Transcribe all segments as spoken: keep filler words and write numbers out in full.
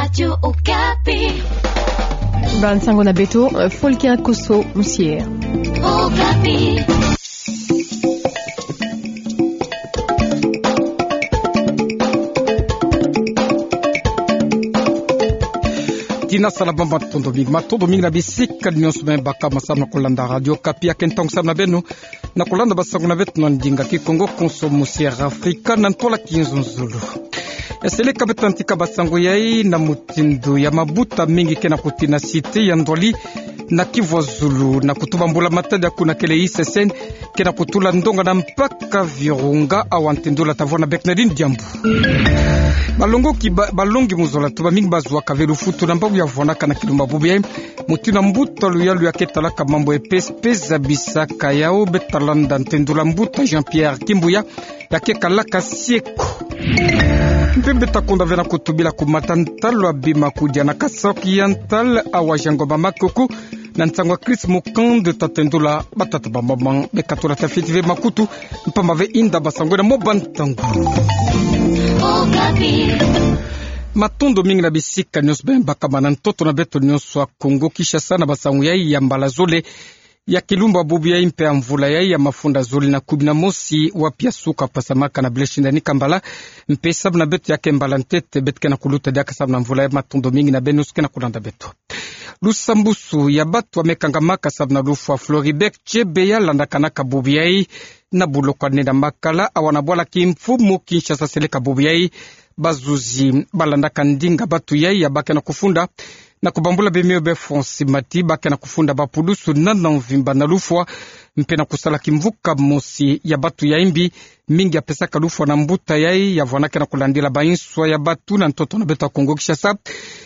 Radio Okapi. Ba nsango na beto, eh, Folkin Koso Musier. Okapi. Tina sala ba matondo mingi, matondo mingi na bisika nyonso me baka masamu na kolanda Radio Okapi. Ya ke ntangu samu na beno na kolanda ba nsango na beto na ndinga Kikongo, Koso Musier Afrika na ntwala Kinzonzolo. Ya seleka beto na ntika ba nsango yai na mutindu ya mabuta mingi ke na kutina site ya Ndwali na Kivu ya Zulu, na kutuba mbula matadi ya kuna kele I C C N, ke na kutula ndonga na mpaka Virunga, awa ntendula tavwa na Bernardine Diambu. Balongoki ba-, balongi mu zola, tuba mingi bazwaka ve lufutu na mbangu ya vwanaka na kilumba bubu yai. Mutindu na mbuta luyalu ya ke talaka mambu ya E P S P zabisaka yau, beta landa ntendula mbuta Jean-Pierre Kimbuya, ya ke kalaka sieko. Mpe beta konda ve na kutubila ku mata ntalu abima kudia na kasoki ya ntalu, awa Jean Ngoma Makuku, na nsangu ya Chris Mukand, tatendula batata ba mama. Beka tula tafiti ve makutu, mpamba ve inda ba nsango na mo ba ntangu. Okapi. Matondo mingi na bisika nyonso beno baka mana ntoto na beto nyonso ya Kongo Kinshasa na ba nsango yai ya mbala zole ya kilumba bubu yai mpe ya mvula yai ya mafunda zole na kumi na mosi, wapi ya suka pasamaka na Blaise Shindani Kambala, mpe samu na beto ya ke mbala ntete beto ke na kuluta diaka samu na mvula yai. Matondo mingi na beno nyonso ke na kulanda beto. Lusambusu ya batu ya me kangamaka samu na lufwa Floribert Chebeya landakanaka bubu yai na buloko ya nne na makala, awa na bwala kimfumu Kinshasa seleka bubu yai. Bazuzi balandaka ndinga batu yai ya ba ke na kufunda na kubambula bimio be fonsi mati, ba ke na kufunda bapulusu na, na mvimba na lufwa, mpe na kusala kimvuka mosi ya batu ya imbi. Mingi ya pesaka lufwa na mbuta yai ya vwana ke na kulandila ba inswa ya batu na ntoto na beto ya Kongo Kinshasa,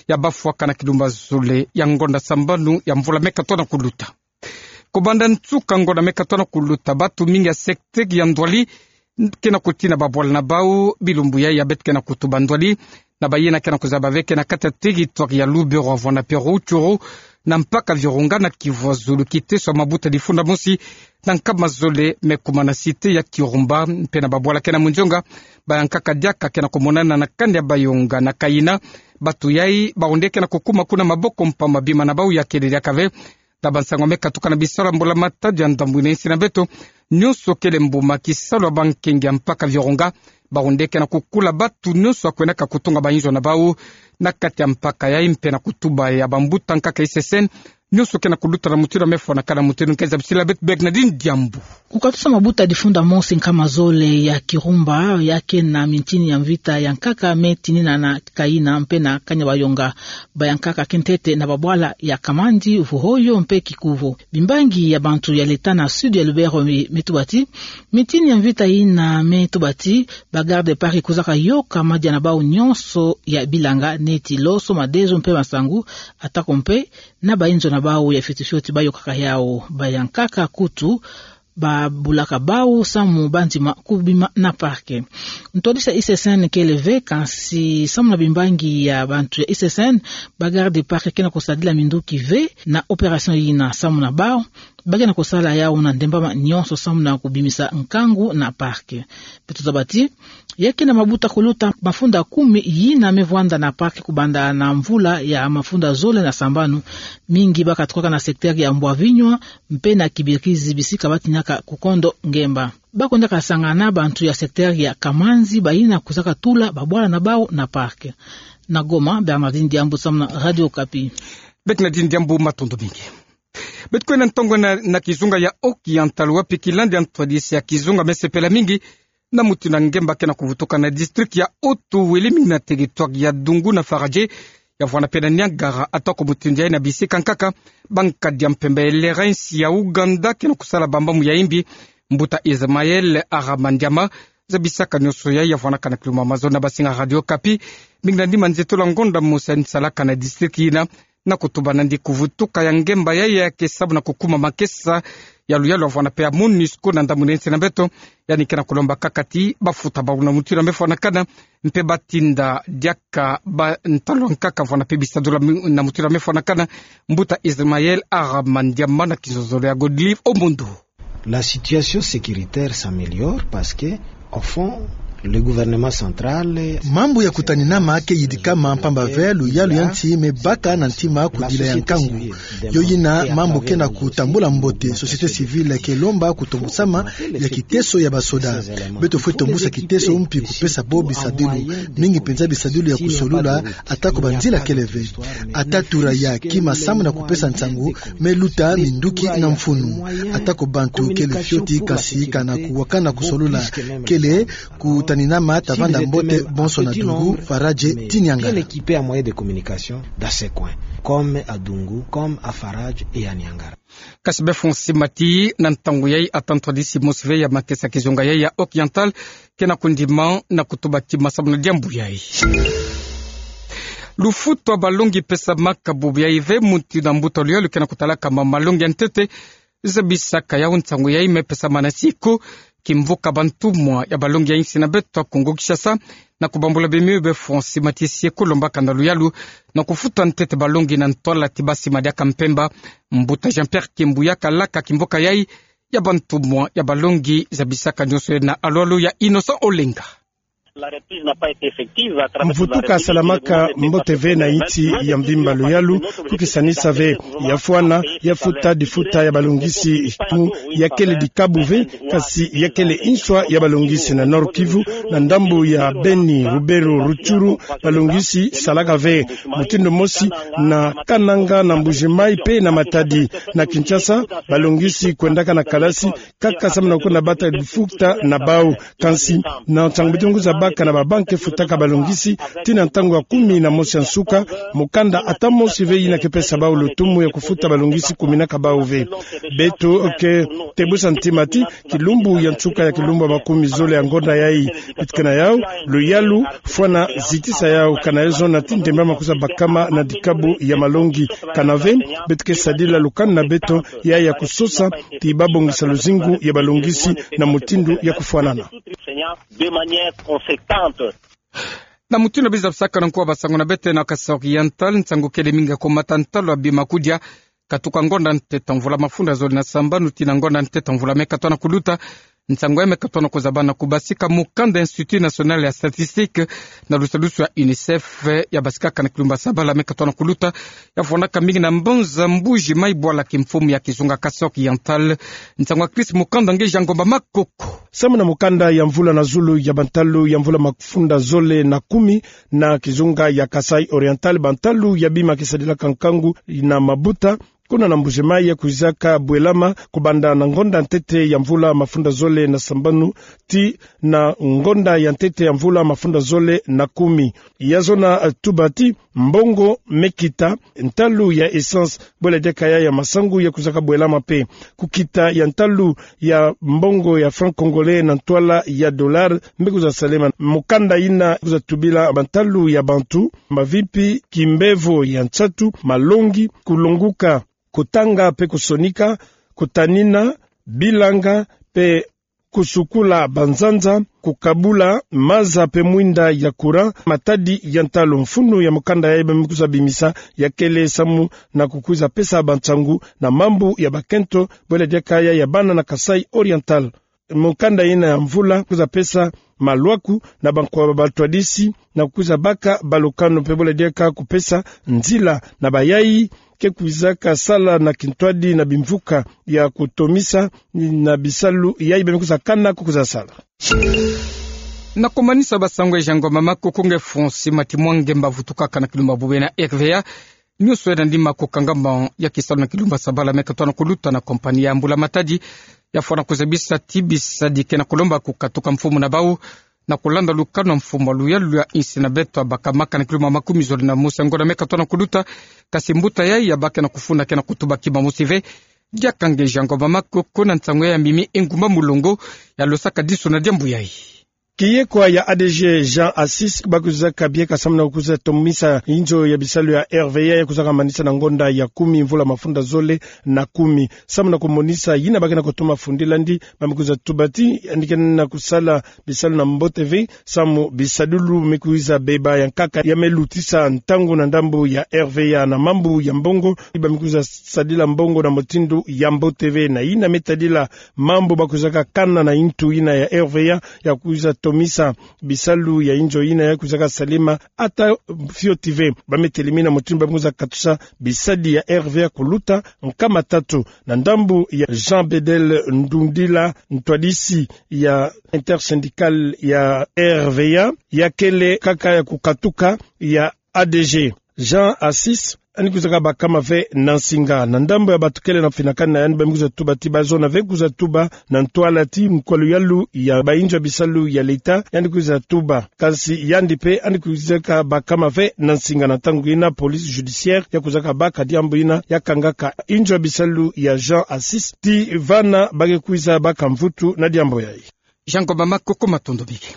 ya bafwaka na kilumba zole ya ngonda sambanu ya mvula me katona kuluta. Kobanda nsuka ngonda me katona kuluta, batu mingi ya secteur ya Ndwali ke na kutina babwala na bau bilumbu yai ya beto ke na kutuba Ndwali, na bayina ke na kuzaba ve ke na kati ya territoire ya Lubero, Avwanda mpe Rutshuru, na mpaka Virunga na Kivu ya Zulu, kiteso ya mabuta difunda mosi na nkama zole me kuma na site ya Kirumba, mpe na babwala ke na Mundionga, bayankaka diaka ke na kumonana na kani ya Bayonga na Kayina. Batu yai baonde ke na kukuma kuna maboko mpamba bima na bau ya kele diaka ve. Na ba nsango me katuka na bisalu ya mbula matadi ya ndambu ina insi na beto, nyonso kele mbuma kisalu ya bankenge ya mpaka Virunga, baonde ke na kukula batu nyonso ya kwenaka kutunga ba inzo na bau na kati ya mpaka yai, mpe na kutuba ya bambuta nkaka I C C N, nyonso ke na kuluta na mutindu ya me fwanakana, mutindu nke zabisila beto Bernardine Diambu. Kukatusa mabuta difunda mosi nkama zole ya Kirumba, ya ke na mintini ya mvita ya nkaka me tinina na Kayina mpe na kani ya Bayonga. Bayankaka kintete na babwala ya Kamandi, Vuhoyo mpe Kikuvo. Bimbangi ya bantu ya leta na sud ya Lubero me, me tuba ti, mintini ya mvita yina me tuba ti ba garde parc kwizaka yoka madia na bau nyonso ya bilanga neti loso, madezo mpe masangu, atako mpe na ba inzo na bau ya fioti fioti bayokaka yau. Bayankaka kutu babulaka bau samu bandima kubima na parc. Ntwadisi ya I C C N kele ve, kansi samu na bimbangi ya bantu ya I C C N, ba garde parc ke na kusadila minduki ve na opération yina samu na bau, ba ke na kusala yau na ndembama nyonso samu na kubimisa nkangu na parc. Beto zaba ti, ya ke na mabuta kuluta mafunda kumi yina me vwanda na parc kubanda na mvula ya mafunda zole na sambanu. Mingi bakatukaka na secteur ya Mbwavinywa mpe na Kibirizi, bisika batinaka kukondo ngemba. Bakwendaka sangana na bantu ya secteur ya Kamanzi, bayina kwizaka tula babwala na bau na parc. Na Goma, Bernardine Diambu samu na Radio Okapi. Bernardine Diambu, matondo mingi. Beto kwenda ntongo na, na kizunga ya Oriental, wapi kilandi ya ntwadisi ya kizunga me sepela mingi na mutindu ya ngemba ke na kuvutuka na district ya Haut-Uele, mingi na territoire ya Dungu na Faradje, ya vwana mpe na Niagara, atako mutindu yai na bisika nkaka, bankadi ya mpemba ya lera insi ya Ouganda ke na kusala bambamu ya imbi. Mbuta Ismaël Aramandiama zabisaka nyonso yai, ya vwanaka na kilumbu ya mazono na basinga Radio Okapi, mingi na nima nzietolo ya ngonda mosi ya nisalaka na district yina, na kutuba nandi kuvutuka ya ngemba yai ya ke samu na kukuma makesa ya luyalu ya vwana mpe ya MONUSCO na ndambu ina insi na beto. Yandi ke na kulomba kaka ti bafuta bau na mutindu ya me fwanakana, mpe batinda diaka ba ntalu ya nkaka vwana mpe bisadula mi-, na mutindu ya me fwanakana. Mbuta Ismaël Aramandiama na kizozolo ya Godlive Omondo. La situation sécuritaire s'améliore parce que, au fond, Le gouvernement central. Mambu ya kutaninama ke yidikama mpamba ve luyalu ya nti me baka na ntima kudila ya nkangu. Yo yina mambu ke na kutambula mbote, société civile ke lomba kutombusama ya kiteso ya basoda. Beto fwe tombusa kiteso mpi kupesa bo bisadilu, mingi mpenza bisadilu ya kusolula, atako banzila kele ve. Ata tura ya kima samu na kupesa nsangu, me luta minduki na mfunu. Atako bantu kele fioti, kasi kana kuwakana kusolula kele, kutaninama ta vanda mbote bonso na Dungu, Faradje ti Niangara. Bien équipé en moyens de communication dans ces coins, comme à Dungu, comme à Faradje et à Niangara. Kasi be Francis Mati, na ntangu yayi ata ntwadisi mosi ve ya makesa kizunga yayi ya Oriental ke na kundima na kutuba kima samu na diambu yayi. Lufutu a balongi pesamaka bubu yayi ve, muti na mbuta luyalu ke na kutalaka ma malongi ya ntete zabisaka yau nsangu yayi me pesamana siku kimvuka bantumwa ya balongi ya insi na beto a Kongo Kinshasa. Na kubambula bima yo, be Francis Mati, sie kulombaka na luyalu na kufuta ntete balongi na ntwala ti basi madiaka mpemba. Mbuta Jean-Pierre Kimbuyaka laka kimvuka yayi ya bantumwa ya balongi zabisaka nionso ye na alwalu ya Innocent Olenga. Mvutuka salamaka mbote ve na insi ya mvimba luyalu, kukisanisa ve ya fwana, ya futa difuta ya balongisi tu, ya kele dikabu ve, kasi ya kele inswa ya balongisi na Nord-Kivu, na ndambu ya Beni, Rubero, Rutshuru, balongisi salaka ve mutindu mosi na Kananga, na Mbuji-Mayi pe na Matadi. Na Kinshasa, balongisi kwendaka na kalasi kaka samu na kukuna bata difuta na bau. Kansi, na ntangu beto me kwiza baka na babanki futaka balongisi, tii na ntangu ya kumi na mosi ya nsuka, mukanda ata mosi ve yina ke pesa bau lutumu ya kufuta balongisi kuminaka bau ve. Beto ke tebusa ntima ti kilumbu ya nsuka ya kilumbu ya makumi zole ya ngonda yayi, beto ke na yau luyalu, fwana zitisa yau, kana yo zona ti ndemba ma kwiza bakama na dikabu ya malongi. Kana ve, beto ke sadila lukanu na beto ya ya kusosa ti babongisa luzingu ya balongisi na mutindu ya kufwanana. De manière conséquente. Na mutindu biza bisaka na nkuwa basango na beto na Kasaï Oriental, nsangu kele mingi ya kumata ntalu ya bima kudia katuka ngonda ntete mvula mafunda zole na sambanu tii na ngonda ntete mvula me katona kuluta. Nsangu ya me katona kuzabana kubasika mukanda Institut National ya Statistique na lusadusu ya UNICEF, ya basikaka na kilumbu ya sabala me katona kuluta, ya fondaka mingi na mbanza Mbuji-Mayi bwala kimfumu ya kizunga Kasaï Oriental. Nsangu ya Chris Mukanda nge Jean Ngomba Makoko. Samu na mukanda ya mvula na zulu ya bantalu ya mvula mafunda zole na kumi, na kizunga ya Kasaï Oriental, bantalu ya bima ke sadilaka nkangu na mabuta kuna na Mbuji-Mayi ya kwizaka bwelama kubanda na ngonda ntete ya mvula mafunda zole na sambanu tii na ngonda ya ntete ya mvula mafunda zole na kumi. Ya zona, eh, tuba ti mbongo me kita, ntalu ya essence, bwela diaka ya ya masangu ya kwizaka bwelama pe. Kukita ya ntalu ya mbongo ya franc congolais na ntwala ya dollar mbe kwiza salema. Mukanda yina kwiza tubila bantalu ya bantu, mavimpi, kimbevo ya nsatu, malongi, kulonguka, kutanga pe kusonika, kutanina, bilanga, pe kusukula banzanza, kukabula maza pe mwinda ya courant, matadi ya ntalu. Mfunu ya mukanda yayi ba me kwiza bimisa ya kele samu na kukwiza pesa bansangu na mambu ya bakento, bwela diaka ya ya bana na Kasaï Oriental. Mukanda yina ya mvula kwiza pesa malwaku na bankwa ba batwadisi na kukwiza baka balukanu pe bwela diaka kupesa nzila na bayayi ke kwizaka sala na kintwadi na bimvuka ya kutomisa na bisalu yayi ba me kwiza kana ko kwiza sala. Na kumanisa basango ya Jean Ngomba Makoko nge Francis Mati Mwange mba vutukaka na kilumbu ya bubena R V A. Nionso yena nima kukangama ya kisalu na kilumbu ya sabala me katona kuluta na compagnie ya mbula matadi, ya fwana kuzabisa ti bisadiki na kulomba kukatuka mfumu na bau, na kulanda lukanu na mfumu wa luyalu ya insi na beto ya bakamaka na kilumbu ya makumi zole na mosi ya ngonda me katona kuluta. Kasi mbuta yayi ya baki na kufunda ke na kutuba kima mosi ve. Diaka nge Jean Ngomba Makoko na nsangu ya mimi Engumba Mulongo ya losaka disu na diambu yayi. Kiyekwa ya A D G Jean Assis ba kwizaka bieka samu na kukwiza tomisa inzo ya bisalu ya R V A ya kwizaka manisa na ngonda ya kumi mvula mafunda zole na kumi. Samu na kumonisa yina ba ke na kutoma fundila ndi, ba me kwiza tuba ti yandi ke na kusala bisalu na mbote ve, samu bisadulu me kwiza beba ya nkaka ya me lutisa ntangu na ndambu ya R V A na mambu ya mbongo, ba me kwiza sadila mbongo na mutindu ya mbote ve. Na yina me tadila mambu ba kwizaka kana na intu yina ya R V A, ya kwiza tomisa bisalu ya inzo yina ya kwizaka salema ata fioti ve. Ba me telemina mutindu ba me kwiza katusa bisadi ya R V A kuluta nkama tatu. Na ndambu ya Jean Bedel Ndundila, ntwadisi ya Intersyndicale ya R V A, ya kele kaka ya kukatuka ya A D G Jean Assis, yandi kwizaka bakama ve na nsinga. Na ndambu ya batukele na finakana, yandi ba me kwiza tuba ti ba zona ve kwiza tuba na ntwala ti mukwalu yalu ya ba inzo ya bisalu ya leta, yandi kwizaka tuba. Kansi yandi mpe yandi kwizaka bakama ve na nsinga. Na ntangu yina police judiciaire ya kwizaka baka diambu yina ya kangaka inzo ya bisalu ya Jean Assis ti vana ba ke kwiza baka mvutu na diambu yayi. Jean Ngomba Makoko, matondo mingi.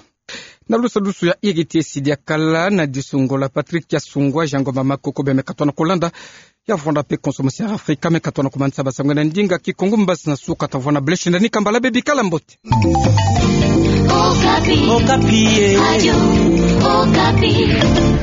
Na lusalusu ya iri ti esi diakala na disungola Patrick Kiasungwa, Jean Ngomba Makoko, beno me katoa na kolanda. Ya vwanda mpe Konso Masiara Afrika, me katoa na komanisa basango na ndinga Kikongo. Mbasi na suka ta vwanda, bless, ndani kambala, beno bikala mbote. Okapi. Okapi, eh. Radio Okapi.